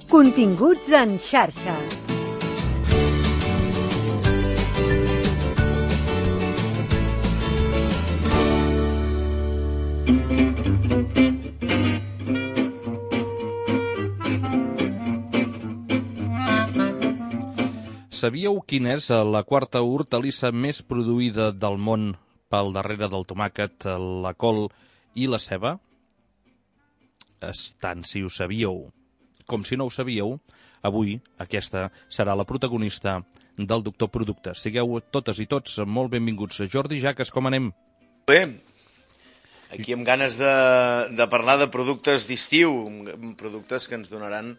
Continguts en xarxa. Sabíeu quina és la quarta hortalissa més produïda del món pel darrere del tomàquet, la col i la ceba? Tant si ho sabíeu com si no ho sabíeu, avui aquesta serà la protagonista del Doctor Productes. Sigueu totes i tots molt benvinguts. Jordi Jaques, com anem? Bé, aquí amb ganes de parlar de productes d'estiu, productes que ens donaran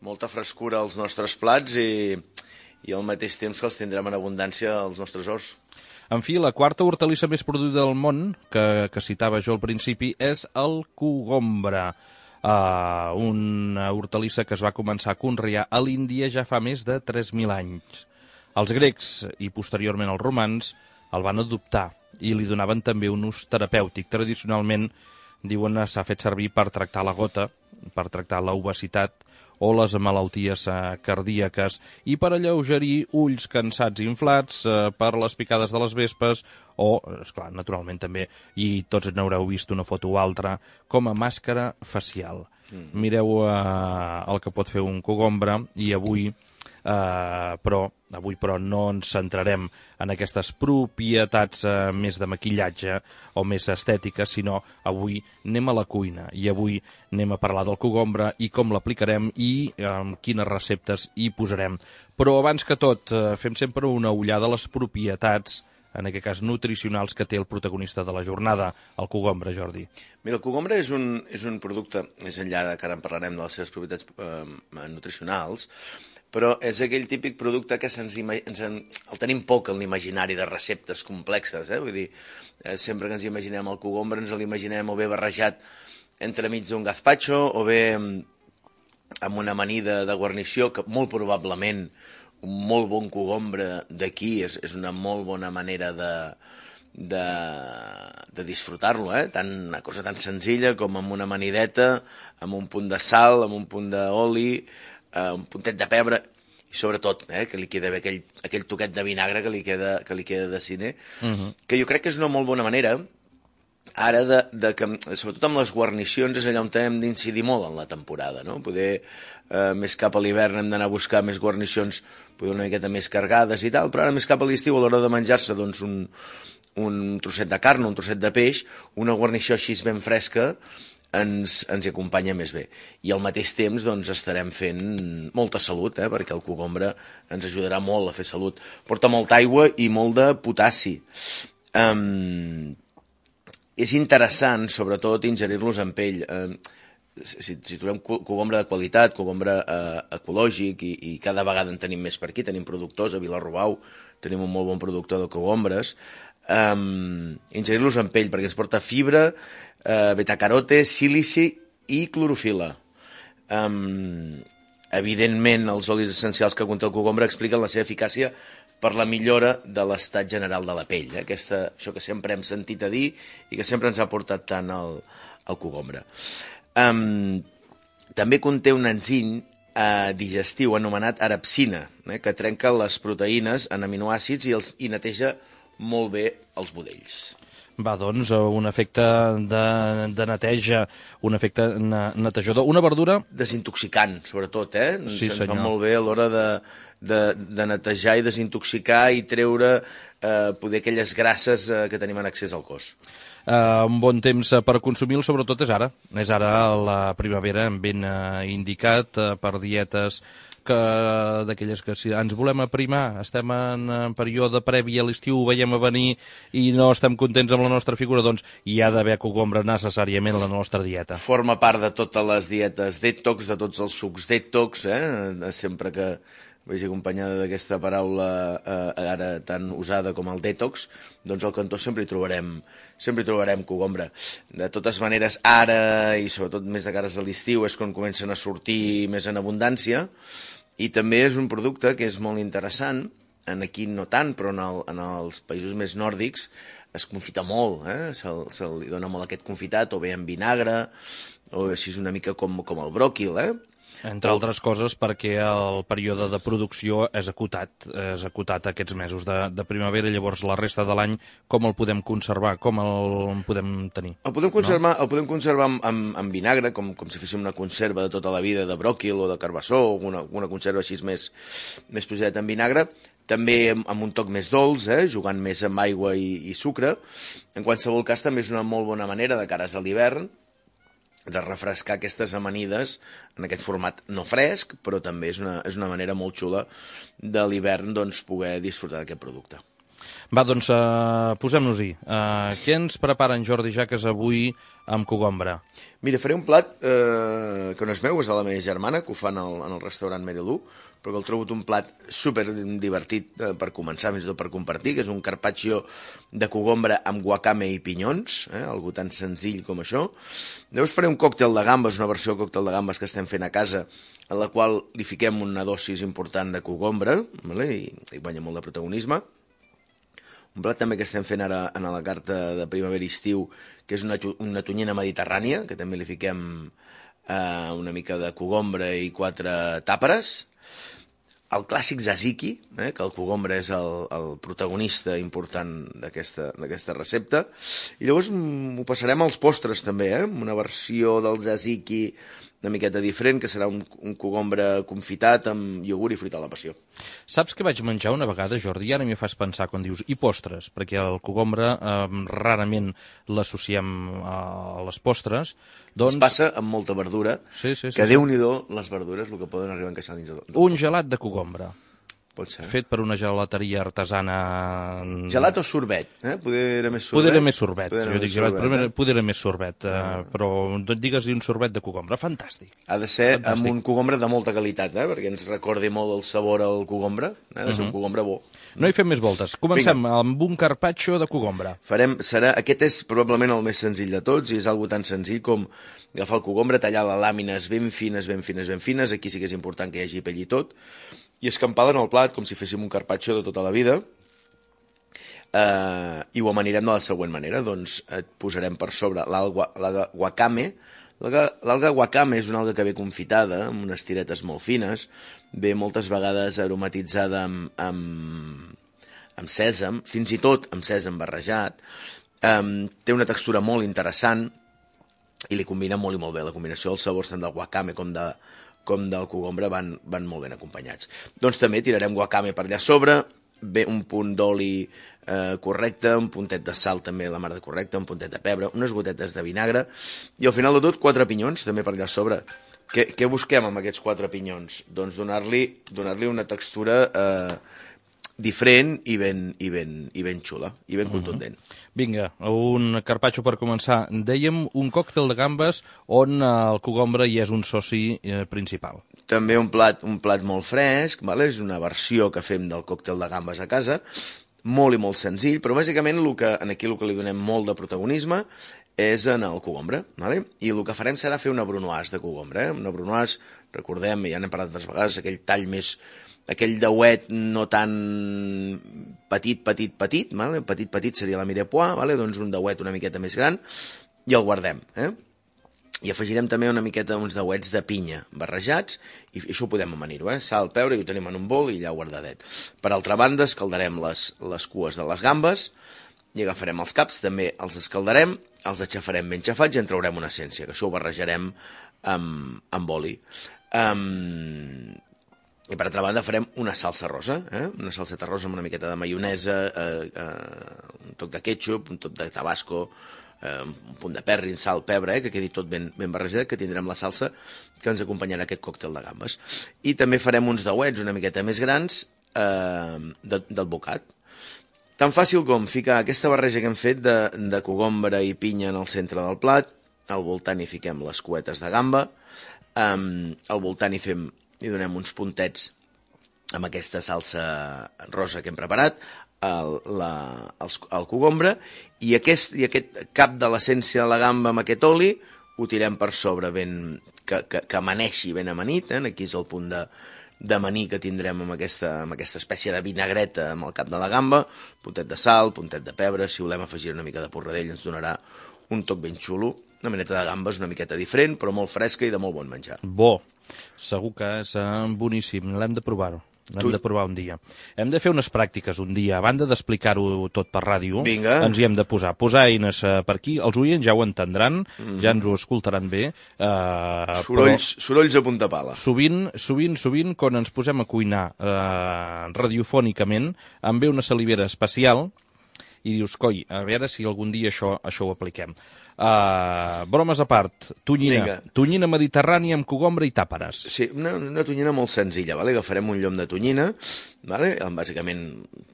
molta frescura als nostres plats i al mateix temps que els tindrem en abundància als nostres horts. En fi, la quarta hortalissa més produïda del món, que citava jo al principi, és el cogombre. Una hortalissa que es va començar a conrear a l'Índia ja fa més de 3.000 anys. Els grecs i posteriorment els romans el van adoptar i li donaven també un ús terapèutic. Tradicionalment, diuen, s'ha fet servir per tractar la gota, per tractar l'obesitat o les malalties cardíaques i per alleugerir ulls cansats i inflats, per les picades de les vespes o, esclar, naturalment també, i tots n'haureu vist una foto o altra, com a màscara facial. Mireu el que pot fer un cogombre i avui però no ens centrarem en aquestes propietats més de maquillatge o més estètiques, sinó avui anem a la cuina i avui anem a parlar del cogombre i com l'aplicarem i quines receptes hi posarem. Però abans que tot, fem sempre una ullada a les propietats, en aquest cas nutricionals, que té el protagonista de la jornada, el cogombre, Jordi. Mira, el cogombre és un producte, més enllà que ara en parlarem de les seves propietats nutricionals, però és aquell típic producte que el tenim poc en l'imaginari de receptes complexes, Vull dir, sempre que ens imaginem el cogombre ens l'imaginem o bé barrejat entremig d'un gazpacho o bé amb una amanida de guarnició que molt probablement un molt bon cogombre d'aquí és una molt bona manera de disfrutar-lo, una cosa tan senzilla com amb una amanideta, amb un punt de sal, amb un punt d'oli, un puntet de pebre i sobretot que li queda bé aquell toquet de vinagre que li queda de cine, que jo crec que és una molt bona manera ara que, sobretot amb les guarnicions, és allà on hem d'incidir molt en la temporada, no? Poder més cap a l'hivern hem d'anar a buscar més guarnicions poder una miqueta més cargades i tal, però ara més cap a l'estiu, a l'hora de menjar-se doncs, un trosset de carn o un trosset de peix, una guarnició així ben fresca ens hi acompanya més bé. I al mateix temps doncs, estarem fent molta salut, perquè el cogombre ens ajudarà molt a fer salut. Porta molta aigua i molt de potassi. És interessant, sobretot, ingerir-los en pell. Si trobem cogombre de qualitat, cogombre ecològic, i cada vegada en tenim més per aquí, tenim productors, a Vilarrobau tenim un molt bon productor de cogombres, ingerir-los en pell, perquè ens porta fibra, betacarote, sílici i clorofil·la. Evidentment, els olis essencials que conté el cogombre expliquen la seva eficàcia per la millora de l'estat general de la pell. Això que sempre hem sentit a dir i que sempre ens ha portat tant el cogombre. També conté un enzim digestiu anomenat arabsina, que trenca les proteïnes en aminoàcids i neteja molt bé els budells. Va, doncs, un efecte de neteja, un efecte netejador. Una verdura... Desintoxicant, sobretot, Sí, se'ns senyor. fa molt bé a l'hora de netejar i desintoxicar i treure poder aquelles grasses que tenim en excés al cos. Un bon temps per consumir-lo, sobretot és ara. És ara la primavera, ben indicat per dietes d'aquelles que si ens volem aprimar, estem en període previ a l'estiu, ho veiem a venir i no estem contents amb la nostra figura, doncs hi ha d'haver cogombre necessàriament a la nostra dieta. Forma part de totes les dietes detox, de tots els sucs detox, sempre que vagi acompanyada d'aquesta paraula ara tan usada com el detox, doncs al cantó sempre hi trobarem cogombre. De totes maneres, ara, i sobretot més de cares a l'estiu, és quan comencen a sortir més en abundància, i també és un producte que és molt interessant, aquí no tant, però en els països més nòrdics es confita molt, se li dona molt aquest confitat, o bé en vinagre, o així una mica com el bròquil, Entre altres coses perquè el període de producció és acotat aquests mesos de primavera, llavors la resta de l'any com el podem conservar, com el podem tenir? El podem conservar amb vinagre, com si féssim una conserva de tota la vida de bròquil o de carbassó, o una conserva així més posada en vinagre, també amb un toc més dolç, jugant més amb aigua i sucre. En qualsevol cas, també és una molt bona manera, de cares a l'hivern, de refrescar aquestes amanides en aquest format no fresc, però també és una manera molt xula de l'hivern poder disfrutar d'aquest producte. Va, doncs posem-nos-hi. Què ens prepara en Jordi Jaques avui amb cogombra? Mira, faré un plat que no és meu, és de la meva germana, que ho fan en el restaurant Merilú, però que el trobo un plat super divertit per començar, fins i tot per compartir, que és un carpaccio de cogombra amb guacame i pinyons, algo tan senzill com això. Llavors faré un còctel de gambes, una versió de còctel de gambes que estem fent a casa, en la qual li fiquem una dosis important de cogombra, i guanya molt de protagonisme. Un plat també que estem fent ara a la carta de primavera-estiu, que és una tonyina mediterrània, que també li fiquem una mica de cogombra i 4 tàperes. El clàssic tzatziki, que el cogombra és el protagonista important d'aquesta recepta. I llavors ho passarem als postres també, una versió del tzatziki una miqueta diferent, que serà un cogombra confitat amb iogurt i fruita a la passió. Saps què vaig menjar una vegada, Jordi? I ara m'hi fas pensar quan dius i postres, perquè el cogombra rarament l'associem a les postres. Ens passa amb molta verdura, que Déu-n'hi-do les verdures, el que poden arribar a encaixar dins. Un gelat de cogombra. Pot ser. Fet per una gelateria artesana... Gelat o sorbet? Poder era més sorbet? Poder era més sorbet. Jo dic gelat, poder era més sorbet. Però digues-li un sorbet de cogombre. Fantàstic. Ha de ser amb un cogombre de molta qualitat, perquè ens recordi molt el sabor al cogombre. Ha de ser un cogombre bo. No hi fem més voltes. Comencem amb un carpaccio de cogombre. Aquest és probablement el més senzill de tots, i és algo tan senzill com agafar el cogombre, tallar les làmines ben fines, ben fines, ben fines. Aquí sí que és important que hi hagi pell i tot. I escampada en el plat, com si féssim un carpaccio de tota la vida, i ho amanirem de la següent manera. Doncs et posarem per sobre l'alga wakame. L'alga wakame és una alga que ve confitada, amb unes tiretes molt fines, ve moltes vegades aromatitzada amb sèsam, fins i tot amb sèsam barrejat. Té una textura molt interessant i li combina molt i molt bé. La combinació dels sabors tant del wakame com del cogombra van molt ben acompanyats. Doncs també tirarem guacame per allà sobre, un punt d'oli correcte, un puntet de sal també la mar de correcte, un puntet de pebre, unes gotetes de vinagre, i al final de tot 4 pinyons també per allà sobre. Què busquem amb aquests 4 pinyons? Doncs donar-li una textura diferent i ben xula, i ben contundent. Vinga, un carpaccio per començar. Dèiem un còctel de gambes on el cogombre hi és un soci principal. També un plat molt fresc, és una versió que fem del còctel de gambes a casa, molt i molt senzill, però bàsicament aquí el que li donem molt de protagonisme és en el cogombre, i el que farem serà fer una brunoise de cogombre. Una brunoise, recordem, ja n'hem parlat altres vegades, aquell dauet no tan petit seria la mirepoix, doncs un dauet una miqueta més gran, i el guardem. I afegirem també una miqueta uns dauets de pinya barrejats, i això ho podem amanir-ho, sal, pebre, i ho tenim en un bol i allà guardadet. Per altra banda, escaldarem les cues de les gambes, i agafarem els caps, també els escaldarem, els aixafarem ben xafats i en traurem una essència, que això ho barrejarem amb oli. I per altra banda farem una salsa rosa, una salseta rosa amb una miqueta de maionesa, un toc de ketchup, un toc de tabasco, un punt de perrin, sal, pebre, que quedi tot ben barrejat, que tindrem la salsa que ens acompanyarà aquest còctel de gambes. I també farem uns dauets una miqueta més grans del bocat. Tan fàcil com ficar aquesta barreja que hem fet de cogombra i pinya en el centre del plat, al voltant hi fiquem les cuetes de gamba, al voltant hi donem uns puntets amb aquesta salsa rosa que hem preparat, el cogombra, i aquest cap de l'essència de la gamba amb aquest oli ho tirem per sobre, que amaneixi ben amanit. Aquí és el punt d'amanir que tindrem amb aquesta espècie de vinagreta amb el cap de la gamba, puntet de sal, puntet de pebre, si volem afegir una mica de porradell ens donarà un toc ben xulo. Una maneta de gambes una miqueta diferent, però molt fresca i de molt bon menjar. Bo. Segur que és boníssim, l'hem de provar-ho. Hem de provar un dia. Hem de fer unes pràctiques un dia. A banda d'explicar-ho tot per ràdio, ens hi hem de posar. Posar eines per aquí. Els oients ja ho entendran, ja ens ho escoltaran bé. Sorolls a punta pala. Sovint, quan ens posem a cuinar radiofònicament, em ve una salivera especial i dius, coi, a veure si algun dia això ho apliquem. Bromes a part, tonyina mediterrània amb cogombre i tàperes. Sí, una tonyina molt senzilla, vale? Agafarem un llom de tonyina, vale? Bàsicament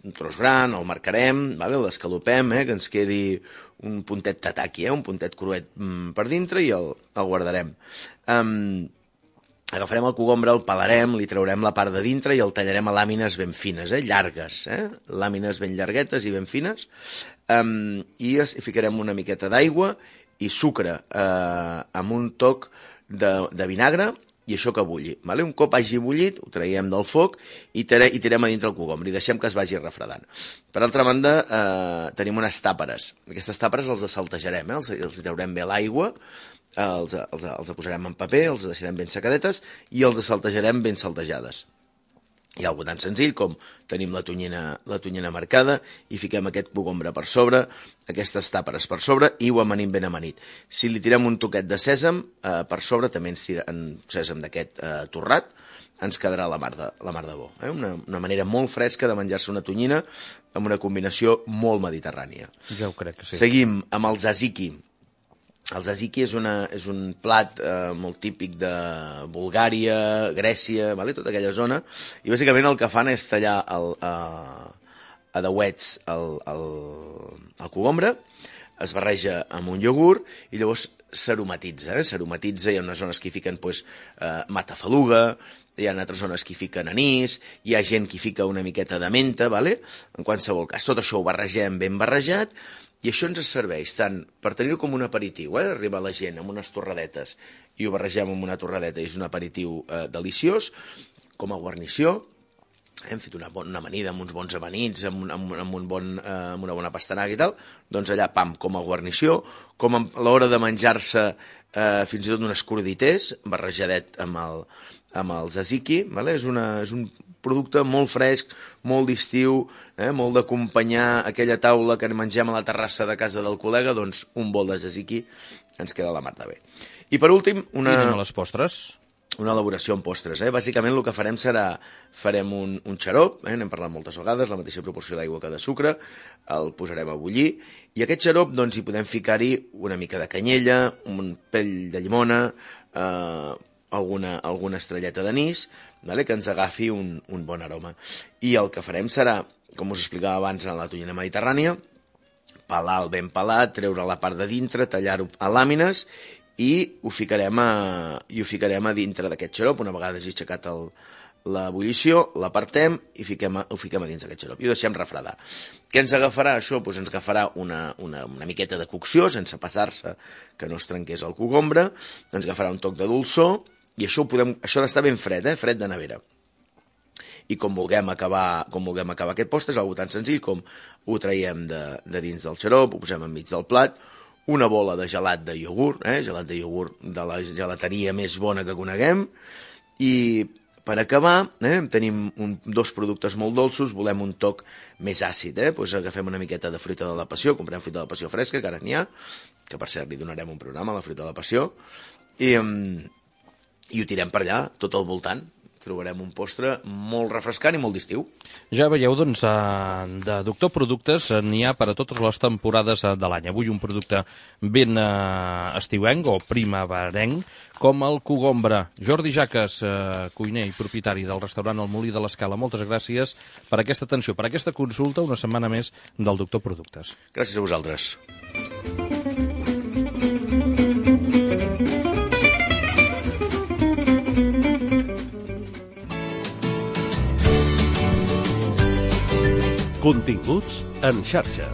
un tros gran, el marcarem, vale? L'escalopem, que ens quedi un puntet tataki, un puntet cruet per dintre i el guardarem. Agafarem el cogombre, el pelarem, li traurem la part de dintre i el tallarem a làmines ben fines, llargues, làmines ben llarguetes i ben fines, i hi ficarem una miqueta d'aigua i sucre amb un toc de vinagre i això que bulli. Vale? Un cop hagi bullit, ho traiem del foc i tirem a dintre el cogombre i deixem que es vagi refredant. Per altra banda, tenim unes tàperes. Aquestes tàperes els saltejarem, els traurem bé l'aigua, els posarem en paper, els deixarem ben secadetes i els saltejarem ben saltejades. Hi ha algo tan senzill com tenim la tonyina marcada i fiquem aquest cogombre per sobre, aquestes tàperes per sobre i ho amanim ben amanit. Si li tirem un toquet de sèsam per sobre, també ens tirem sèsam d'aquest torrat, ens quedarà la mar de bo. Una manera molt fresca de menjar-se una tonyina amb una combinació molt mediterrània. Ja ho crec que sí. Seguim amb el tzatziki. El tzatziki és un plat molt típic de Bulgària, Grècia, tota aquella zona, i bàsicament el que fan és tallar a dauets el cogombre, es barreja amb un iogurt i llavors s'aromatitza. S'aromatitza, hi ha unes zones que hi fiquen matafaluga, hi ha altres zones que hi fiquen anís, hi ha gent que hi fica una miqueta de menta, en qualsevol cas. Tot això ho barregem ben barrejat, i això ens serveix tant per tenir-ho com un aperitiu, arriba la gent amb unes torradetes i ho barregem amb una torradeta i és un aperitiu deliciós, com a guarnició. Hem fet una amanida amb uns bons amanits, amb una bona pastanaga i tal, doncs allà, pam, com a guarnició, com a l'hora de menjar-se fins i tot unes crudités, barrejadet amb el tzatziki, és un producte molt fresc, molt d'estiu, molt d'acompanyar aquella taula que mengem a la terrassa de casa del col·lega, doncs un bol de tzatziki ens queda la mar de bé. I per últim, I anem a les postres. Una elaboració en postres. Bàsicament el que farem un xarop, n'hem parlat moltes vegades, la mateixa proporció d'aigua que de sucre, el posarem a bullir, i aquest xarop doncs hi podem ficar-hi una mica de canyella, un pell de llimona, alguna estrelleta d'anís, que ens agafi un bon aroma. I el que farem serà, com us explicava abans en la tonyina mediterrània, pelar el ben pelat, treure la part de dintre, tallar-ho a làmines i ho ficarem a dintre d'aquest xarop. Una vegada hagi aixecat l'ebullició, l'apartem i ho fiquem a dins d'aquest xarop i ho deixem refredar. Què ens agafarà això? Doncs ens agafarà una miqueta de cocció, sense passar-se que no es trenqués el cogombre, ens agafarà un toc de dolçor i això ha d'estar ben fred, fred de nevera. I com vulguem acabar aquest postre, és una cosa tan senzill com ho traiem de dins del xarop, ho posem enmig del plat, una bola de gelat de iogurt, gelat de iogurt de la gelateria més bona que coneguem, i per acabar tenim dos productes molt dolços, volem un toc més àcid, doncs agafem una miqueta de fruita de la passió, comprem fruita de la passió fresca, que ara n'hi ha, que per cert li donarem un programa a la fruita de la passió, i ho tirem per allà, tot al voltant. Trobarem un postre molt refrescant i molt d'estiu. Ja veieu, doncs, de Doctor Productes n'hi ha per a totes les temporades de l'any. Avui un producte ben estiuenc o primaverenc, com el cogombre. Jordi Jaques, cuiner i propietari del restaurant El Molí de l'Escala, moltes gràcies per aquesta atenció, per aquesta consulta, una setmana més del Doctor Productes. Gràcies a vosaltres. Continguts en xarxa.